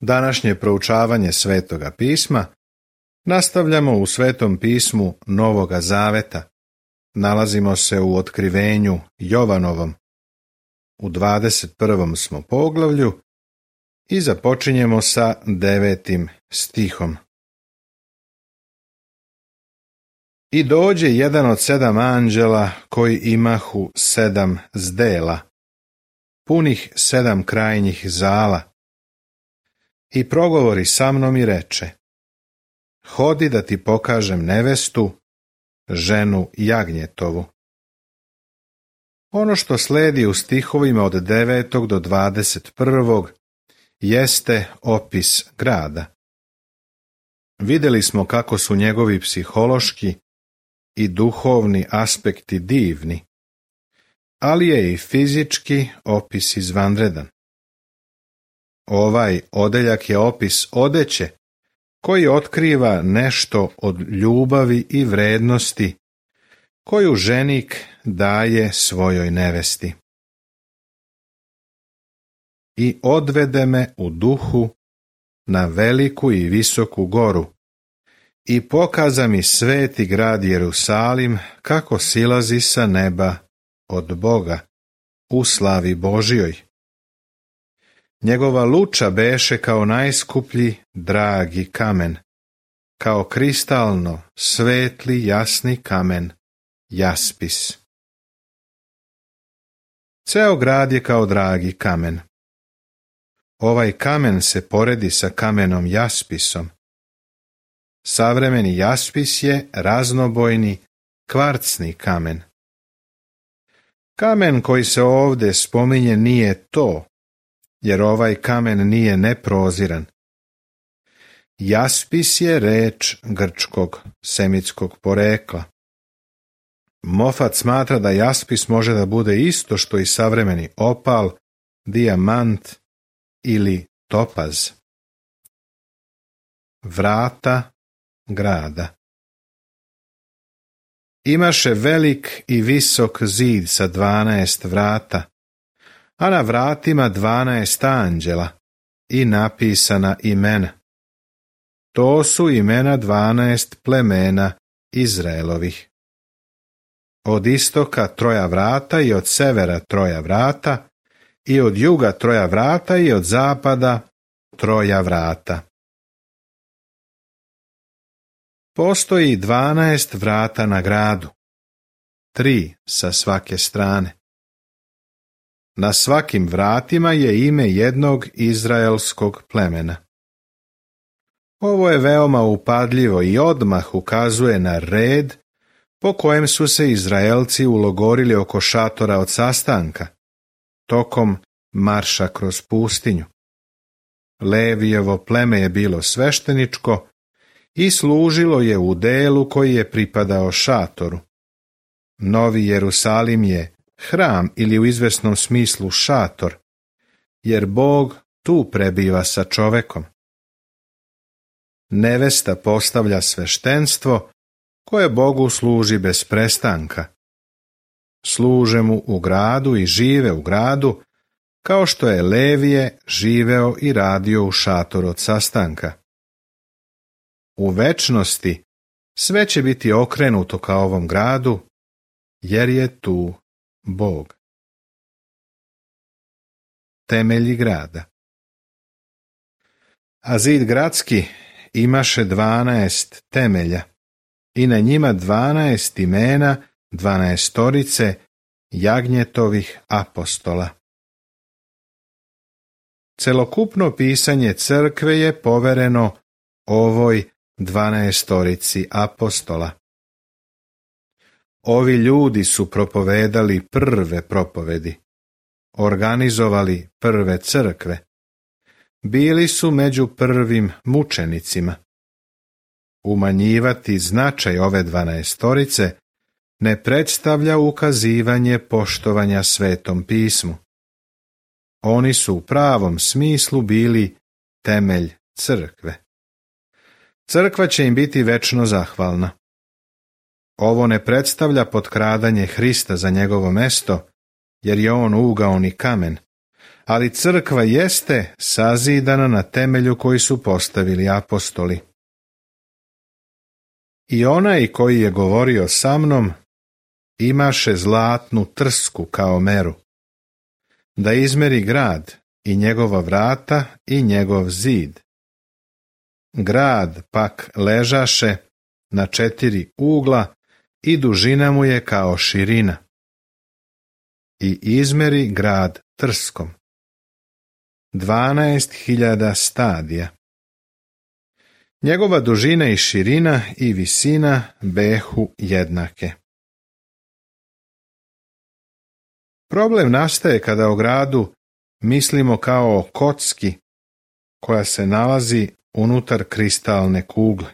Današnje proučavanje Svetoga pisma nastavljamo u Svetom pismu Novoga Zaveta. Nalazimo se u otkrivenju Jovanovom. U 21. smo poglavlju i započinjemo sa 9. stihom. I dođe jedan od 7 anđela koji imahu 7 zdela, punih 7 krajnjih zala, i progovori sa mnom i reče: Hodi da ti pokažem nevestu, ženu jagnjetovu. Ono što sledi u stihovima od 9. do 21. jeste opis grada. Vidjeli smo kako su njegovi psihološki i duhovni aspekti divni, ali je i fizički opis izvanredan. Ovaj odeljak je opis odeće koji otkriva nešto od ljubavi i vrednosti koju ženik daje svojoj nevesti. I odvede me u duhu na veliku i visoku goru i pokaza mi sveti grad Jerusalim kako silazi sa neba od Boga u slavi Božjoj. Njegova luča beše kao najskuplji dragi kamen, kao kristalno svetli jasni kamen, jaspis. Ceo grad je kao dragi kamen. Ovaj kamen se poredi sa kamenom jaspisom. Savremeni jaspis je raznobojni kvarcni kamen. Kamen koji se ovdje spominje nije to, jer ovaj kamen nije neproziran. Jaspis je reč grčkog semitskog porekla. Mofat smatra da jaspis može da bude isto što i savremeni opal, dijamant ili topaz. Vrata grada. Imaše velik i visok zid sa 12 vrata, a na vratima 12 anđela i napisana imena. To su imena 12 plemena Izraelovih. Od istoka 3 vrata i od severa 3 vrata i od juga 3 vrata i od zapada 3 vrata. Postoji 12 vrata na gradu, 3 sa svake strane. Na svakim vratima je ime jednog izraelskog plemena. Ovo je veoma upadljivo i odmah ukazuje na red po kojem su se Izraelci ulogorili oko šatora od sastanka, tokom marša kroz pustinju. Levijevo pleme je bilo svešteničko i služilo je u delu koji je pripadao šatoru. Novi Jerusalim je hram ili u izvesnom smislu šator, jer Bog tu prebiva sa čovekom. Nevesta postavlja sveštenstvo koje Bogu služi bez prestanka. Služe mu u gradu i žive u gradu, kao što je Levije živeo i radio u šatoru od sastanka. U večnosti sve će biti okrenuto ka ovom gradu, jer je tu Bog. Temelji grada. A zid gradski imaše 12 temelja i na njima 12 imena 12 jagnjetovih apostola. Celokupno pisanje crkve je povereno ovoj 12 apostola. Ovi ljudi su propovedali prve propovedi, organizovali prve crkve, bili su među prvim mučenicima. Umanjivati značaj ove 12 ne predstavlja ukazivanje poštovanja Svetom pismu. Oni su u pravom smislu bili temelj crkve. Crkva će im biti večno zahvalna. Ovo ne predstavlja potkradanje Hrista za njegovo mesto, jer je on ugaoni kamen, ali crkva jeste sazidana na temelju koji su postavili apostoli. I onaj koji je govorio sa mnom imaše zlatnu trsku kao meru, da izmeri grad i njegova vrata i njegov zid. Grad pak ležaše na 4 ugla i dužina mu je kao širina. I izmeri grad trskom. 12.000 stadija. Njegova dužina i širina i visina behu jednake. Problem nastaje kada o gradu mislimo kao o kocki koja se nalazi unutar kristalne kugle.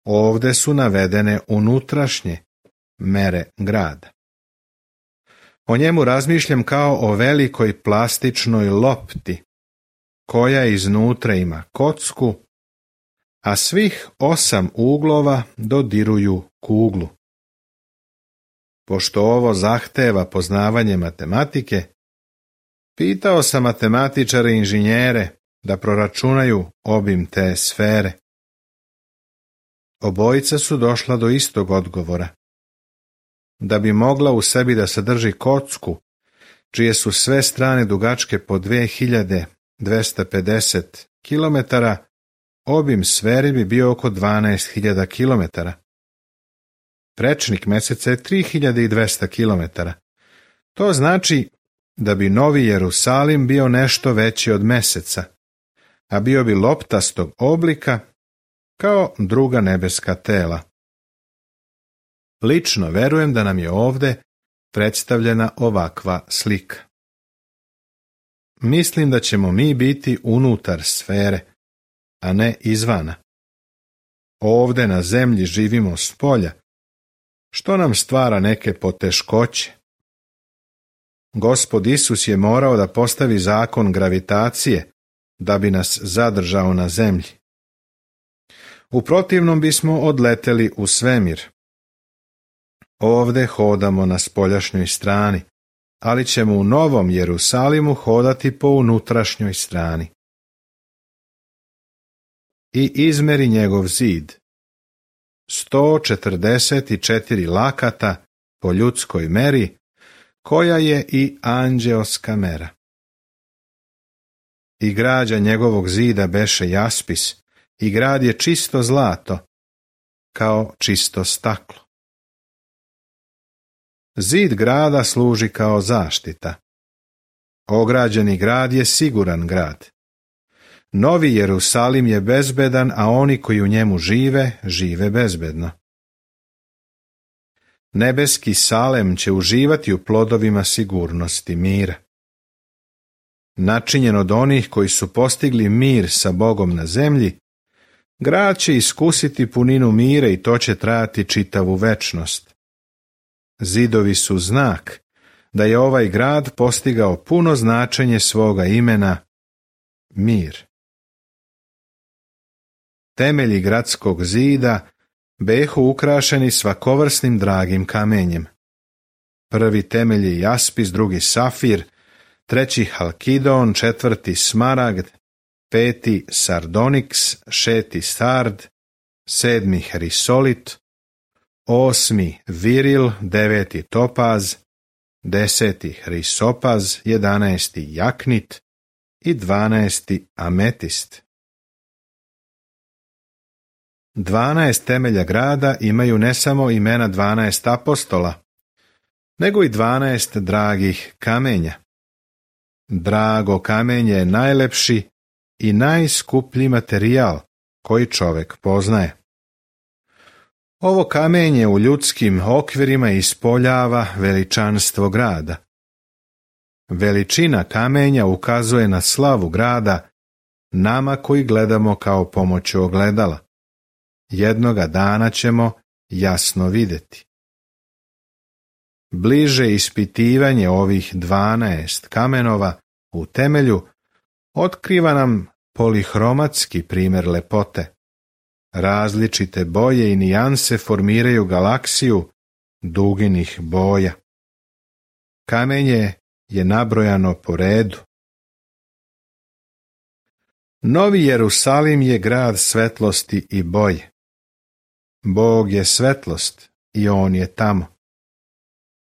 Ovde su navedene unutrašnje mere grada. O njemu razmišljam kao o velikoj plastičnoj lopti, koja iznutra ima kocku, a svih 8 uglova dodiruju kuglu. Pošto ovo zahteva poznavanje matematike, pitao sam matematičare i inženjere da proračunaju obim te sfere. Obojica su došla do istog odgovora. Da bi mogla u sebi da sadrži kocku, čije su sve strane dugačke po 2250 km, obim sfere bi bio oko 12.000 km. Prečnik meseca je 3200 km. To znači da bi Novi Jerusalim bio nešto veći od meseca, a bio bi loptastog oblika kao druga nebeska tela. Lično verujem da nam je ovde predstavljena ovakva slika. Mislim da ćemo mi biti unutar sfere, a ne izvana. Ovde na zemlji živimo s polja, što nam stvara neke poteškoće. Gospod Isus je morao da postavi zakon gravitacije da bi nas zadržao na zemlji. U protivnom bismo odleteli u svemir. Ovde hodamo na spoljašnjoj strani, ali ćemo u Novom Jerusalimu hodati po unutrašnjoj strani. I izmeri njegov zid. 144 lakata po ljudskoj meri, koja je i anđeoska mera. I građa njegovog zida beše jaspis, i grad je čisto zlato, kao čisto staklo. Zid grada služi kao zaštita. Ograđeni grad je siguran grad. Novi Jerusalim je bezbedan, a oni koji u njemu žive, žive bezbedno. Nebeski Salem će uživati u plodovima sigurnosti mira. Načinjen od onih koji su postigli mir sa Bogom na zemlji, grad će iskusiti puninu mira i to će trajati čitavu večnost. Zidovi su znak da je ovaj grad postigao puno značenje svoga imena mir. Temelji gradskog zida behu ukrašeni svakovrsnim dragim kamenjem. Prvi temelj je jaspis, drugi safir, treći halkidon, četvrti smaragd, peti sardoniks, šesti sard, sedmi hrisolit, osmi viril, deveti topaz, 10. hrisopaz, 11. jaknit i 12. ametist. 12 temelja grada imaju ne samo imena 12 apostola, nego i 12 dragih kamenja. Drago kamenje je najlepši i najskuplji materijal koji čovek poznaje. Ovo kamenje u ljudskim okvirima ispoljava veličanstvo grada. Veličina kamenja ukazuje na slavu grada nama koji gledamo kao pomoću ogledala. Jednoga dana ćemo jasno vidjeti. Bliže ispitivanje ovih 12 kamenova u temelju otkriva nam polihromatski primjer lepote. Različite boje i nijanse formiraju galaksiju duginih boja. Kamenje je nabrojano po redu. Novi Jerusalim je grad svetlosti i boje. Bog je svetlost i on je tamo.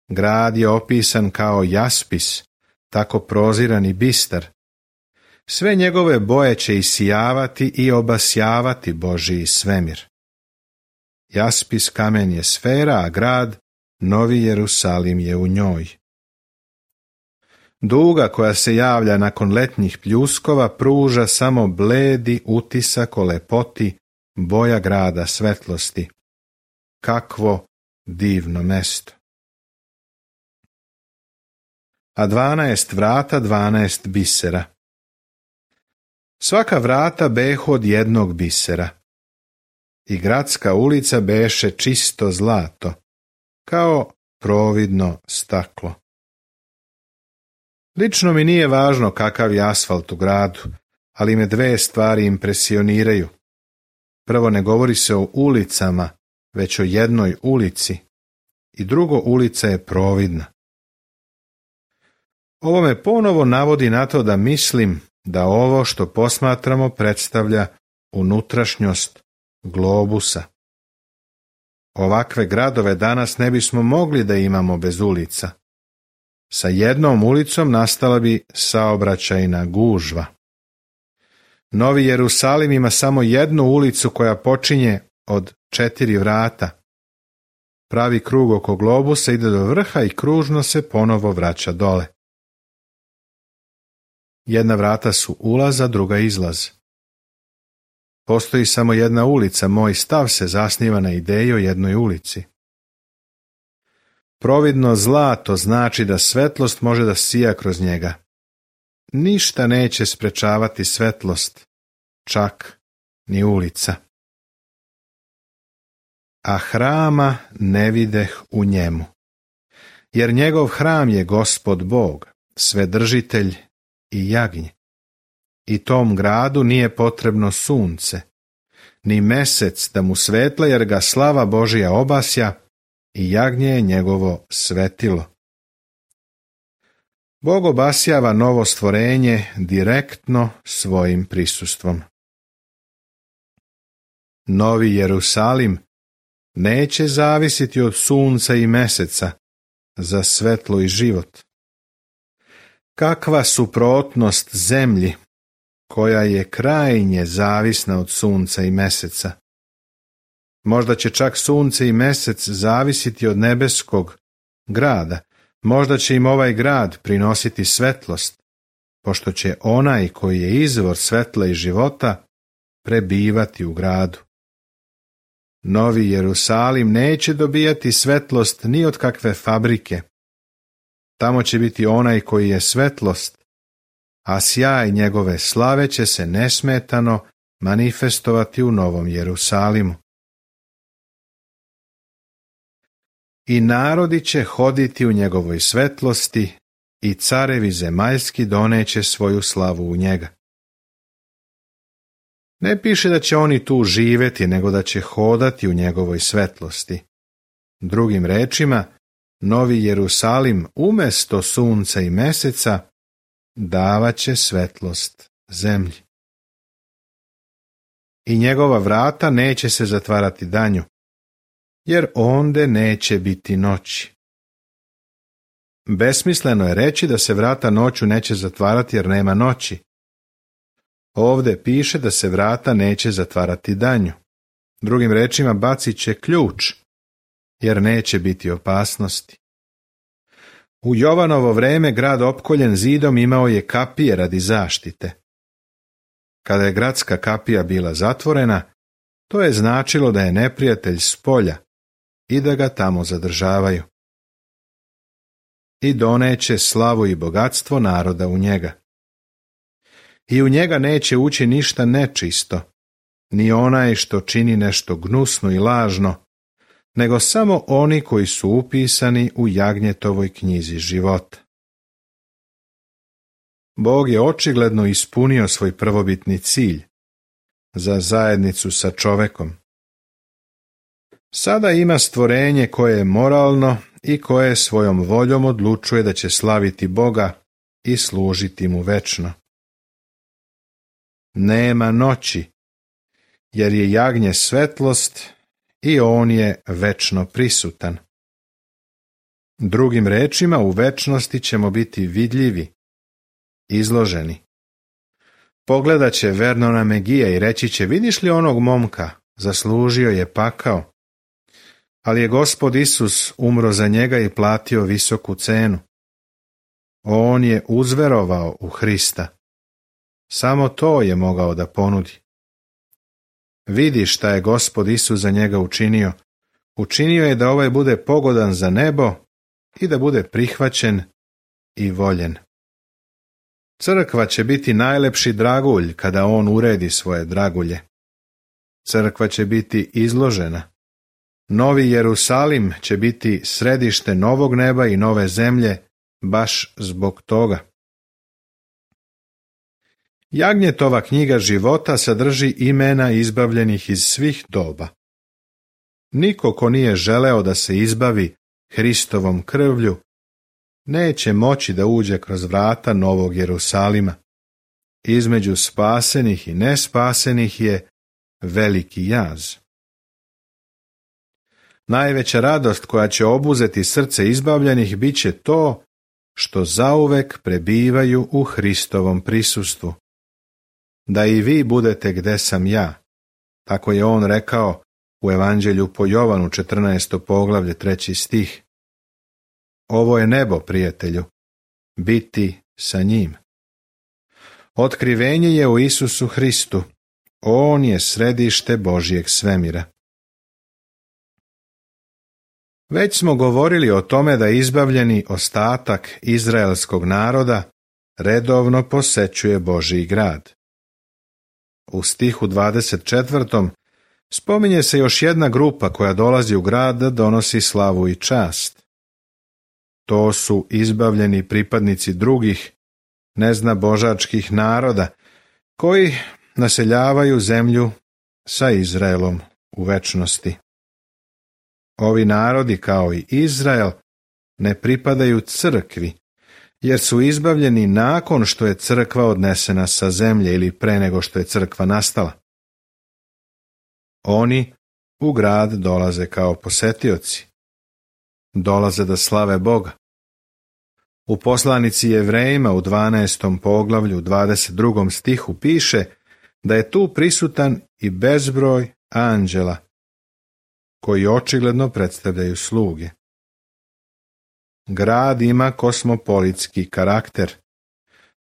Grad je opisan kao jaspis, tako proziran i bistar. Sve njegove boje će isijavati i obasjavati Božji svemir. Jaspis kamen je sfera, a grad, Novi Jerusalim, je u njoj. Duga koja se javlja nakon letnjih pljuskova pruža samo bledi utisak o lepoti boja grada svetlosti. Kakvo divno mesto! A 12 vrata, 12 bisera. Svaka vrata behu od jednog bisera. I gradska ulica beše čisto zlato, kao providno staklo. Lično mi nije važno kakav je asfalt u gradu, ali me dve stvari impresioniraju. Prvo, ne govori se o ulicama, već o jednoj ulici. I drugo, ulica je providna. Ovo me ponovo navodi na to da mislim da ovo što posmatramo predstavlja unutrašnjost globusa. Ovakve gradove danas ne bismo mogli da imamo bez ulica. Sa jednom ulicom nastala bi saobraćajna gužva. Novi Jerusalim ima samo jednu ulicu koja počinje od 4 vrata. Pravi krug oko globusa ide do vrha i kružno se ponovo vraća dole. Jedna vrata su ulaz, a druga izlaz. Postoji samo jedna ulica, moj stav se zasniva na ideji o jednoj ulici. Providno zlato znači da svetlost može da sija kroz njega. Ništa neće sprečavati svetlost, čak ni ulica. A hrama ne videh u njemu, jer njegov hram je Gospod Bog, Svedržitelj i jagnje. I tom gradu nije potrebno sunce, ni mesec da mu svetla, jer ga slava Božja obasja i jagnje je njegovo svetilo. Bog obasjava novo stvorenje direktno svojim prisustvom. Novi Jerusalim neće zavisiti od sunca i meseca za svetlo i život. Kakva suprotnost zemlji, koja je krajnje zavisna od sunca i meseca. Možda će čak sunce i mesec zavisiti od nebeskog grada, možda će im ovaj grad prinositi svetlost, pošto će onaj koji je izvor svetla i života prebivati u gradu. Novi Jerusalim neće dobijati svetlost ni od kakve fabrike. Tamo će biti onaj koji je svetlost, a sjaj njegove slave će se nesmetano manifestovati u Novom Jerusalimu. I narodi će hoditi u njegovoj svetlosti i carevi zemaljski doneće svoju slavu u njega. Ne piše da će oni tu živeti, nego da će hodati u njegovoj svetlosti. Drugim rečima, Novi Jerusalim umjesto sunca i meseca davaće svetlost zemlji. I njegova vrata neće se zatvarati danju, jer onde neće biti noći. Besmisleno je reći da se vrata noću neće zatvarati jer nema noći. Ovde piše da se vrata neće zatvarati danju. Drugim rečima, bacit će ključ, jer neće biti opasnosti. U Jovanovo vreme grad opkoljen zidom imao je kapije radi zaštite. Kada je gradska kapija bila zatvorena, to je značilo da je neprijatelj s polja i da ga tamo zadržavaju. I doneće slavu i bogatstvo naroda u njega. I u njega neće ući ništa nečisto, ni onaj što čini nešto gnusno i lažno, nego samo oni koji su upisani u Jagnjetovoj knjizi života. Bog je očigledno ispunio svoj prvobitni cilj za zajednicu sa čovekom. Sada ima stvorenje koje je moralno i koje svojom voljom odlučuje da će slaviti Boga i služiti mu večno. Nema noći, jer je jagnje svetlost i on je večno prisutan. Drugim rečima, u večnosti ćemo biti vidljivi, izloženi. Pogledat će Vernona Megija i reći će: vidiš li onog momka, zaslužio je pakao, ali je Gospod Isus umro za njega i platio visoku cenu. On je uzverovao u Hrista. Samo to je mogao da ponudi. Vidi šta je Gospod Isus za njega učinio. Učinio je da ovaj bude pogodan za nebo i da bude prihvaćen i voljen. Crkva će biti najlepši dragulj kada on uredi svoje dragulje. Crkva će biti izložena. Novi Jerusalim će biti središte novog neba i nove zemlje baš zbog toga. Jagnjetova knjiga života sadrži imena izbavljenih iz svih doba. Niko ko nije želeo da se izbavi Hristovom krvlju, neće moći da uđe kroz vrata Novog Jerusalima. Između spasenih i nespasenih je veliki jaz. Najveća radost koja će obuzeti srce izbavljenih bit će to što zauvek prebivaju u Hristovom prisustvu. Da i vi budete gde sam ja, tako je on rekao u Evanđelju po Jovanu 14. poglavlje 3. stih. Ovo je nebo, prijatelju, biti sa njim. Otkrivenje je u Isusu Hristu. On je središte Božjeg svemira. Već smo govorili o tome da izbavljeni ostatak izraelskog naroda redovno posećuje Božji grad. U stihu 24. spominje se još jedna grupa koja dolazi u grad da donosi slavu i čast. To su izbavljeni pripadnici drugih, neznabožačkih naroda, koji naseljavaju zemlju sa Izraelom u večnosti. Ovi narodi, kao i Izrael, ne pripadaju crkvi, jer su izbavljeni nakon što je crkva odnesena sa zemlje ili pre nego što je crkva nastala. Oni u grad dolaze kao posetioci. Dolaze da slave Boga. U poslanici Jevrejima u 12. poglavlju 22. stihu piše da je tu prisutan i bezbroj anđela, koji očigledno predstavljaju sluge. Grad ima kosmopolitski karakter.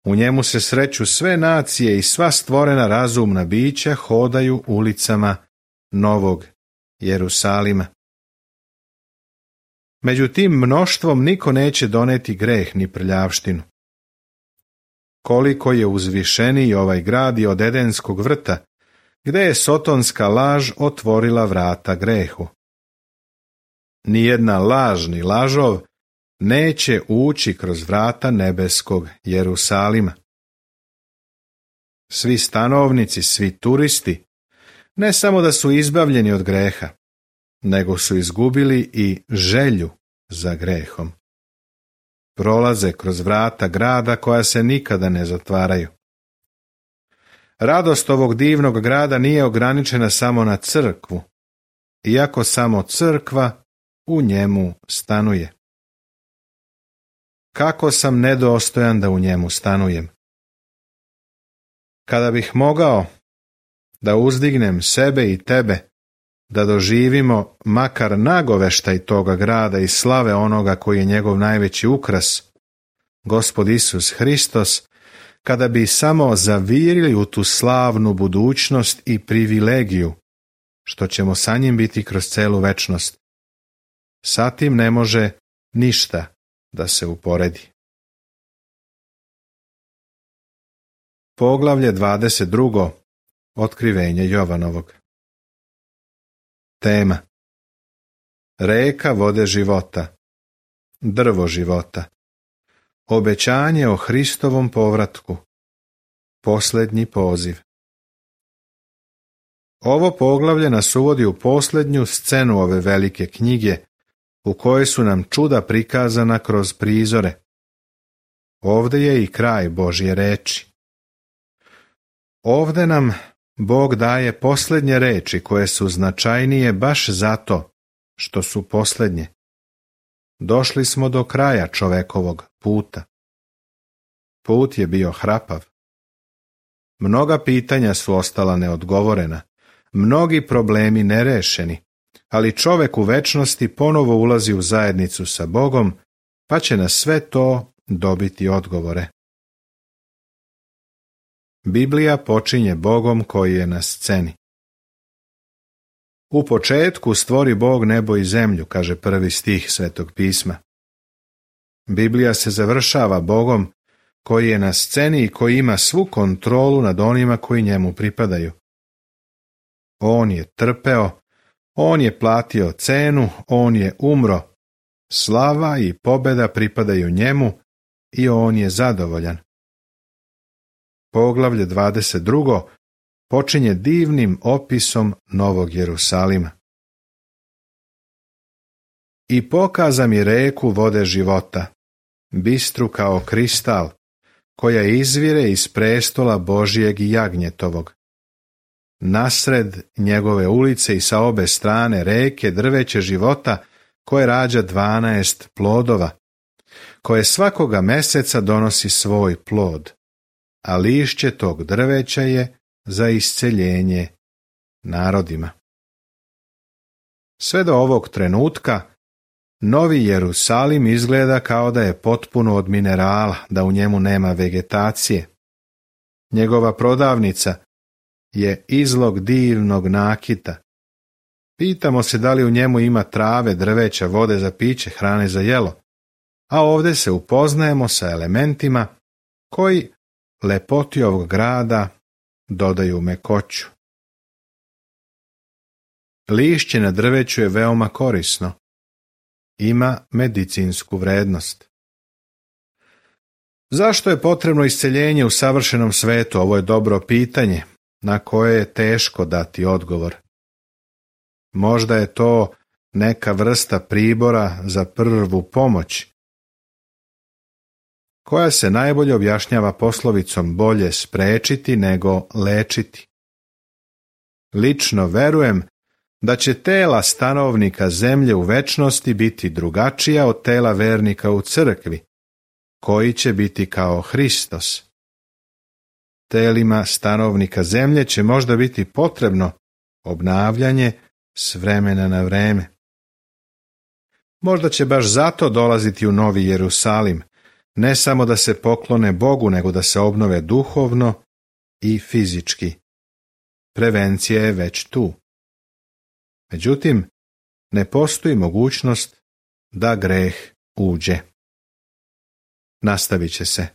U njemu se sreću sve nacije i sva stvorena razumna bića hodaju ulicama Novog Jerusalima. Među tim mnoštvom niko neće doneti greh ni prljavštinu. Koliko je uzvišeniji ovaj grad i od Edenskog vrta, gde je sotonska laž otvorila vrata grehu. Nijedna laž ni lažov neće ući kroz vrata nebeskog Jerusalima. Svi stanovnici, svi turisti, ne samo da su izbavljeni od greha, nego su izgubili i želju za grehom. Prolaze kroz vrata grada koja se nikada ne zatvaraju. Radost ovog divnog grada nije ograničena samo na crkvu, iako samo crkva u njemu stanuje. Kako sam nedostojan da u njemu stanujem. Kada bih mogao da uzdignem sebe i tebe, da doživimo makar nagoveštaj toga grada i slave onoga koji je njegov najveći ukras, Gospod Isus Hristos, kada bi samo zavirili u tu slavnu budućnost i privilegiju, što ćemo sa njim biti kroz celu večnost. Sa tim ne može ništa da se uporedi. Poglavlje 22. Otkrivenje Jovanovog. Tema: Reka vode života, drvo života, obećanje o Hristovom povratku, posljednji poziv. Ovo poglavlje nas uvodi u posljednju scenu ove velike knjige, u kojoj su nam čuda prikazana kroz prizore. Ovdje je i kraj Božje reči. Ovdje nam Bog daje posljednje reči koje su značajnije baš zato što su posljednje. Došli smo do kraja čovekovog puta. Put je bio hrapav. Mnoga pitanja su ostala neodgovorena, mnogi problemi nerešeni, ali čovek u večnosti ponovo ulazi u zajednicu sa Bogom, pa će na sve to dobiti odgovore. Biblija počinje Bogom koji je na sceni. U početku stvori Bog nebo i zemlju, kaže prvi stih Svetog pisma. Biblija se završava Bogom koji je na sceni i koji ima svu kontrolu nad onima koji njemu pripadaju. On je trpeo, on je platio cenu, on je umro. Slava i pobjeda pripadaju njemu i on je zadovoljan. Poglavlje 22. počinje divnim opisom Novog Jerusalima. I pokaza mi reku vode života, bistru kao kristal, koja izvire iz prestola Božijeg i jagnjetovog. Nasred njegove ulice i sa obe strane reke drveće života, koje rađa 12 plodova, koje svakoga meseca donosi svoj plod, a lišće tog drveća je za isceljenje narodima. Sve do ovog trenutka Novi Jerusalim izgleda kao da je potpuno od minerala, da u njemu nema vegetacije. Njegova prodavnica je izlog divnog nakita. Pitamo se da li u njemu ima trave, drveća, vode za piće, hrane za jelo, a ovdje se upoznajemo sa elementima koji lepoti ovog grada dodaju mekoću. Lišće na drveću je veoma korisno. Ima medicinsku vrednost. Zašto je potrebno isceljenje u savršenom svetu? Ovo je dobro pitanje na koje je teško dati odgovor. Možda je to neka vrsta pribora za prvu pomoć, koja se najbolje objašnjava poslovicom bolje sprečiti nego lečiti. Lično verujem da će tela stanovnika zemlje u večnosti biti drugačija od tela vernika u crkvi, koji će biti kao Hristos. Telima stanovnika zemlje će možda biti potrebno obnavljanje s vremena na vreme. Možda će baš zato dolaziti u Novi Jerusalim, ne samo da se poklone Bogu, nego da se obnove duhovno i fizički. Prevencija je već tu. Međutim, ne postoji mogućnost da greh uđe. Nastavit će se.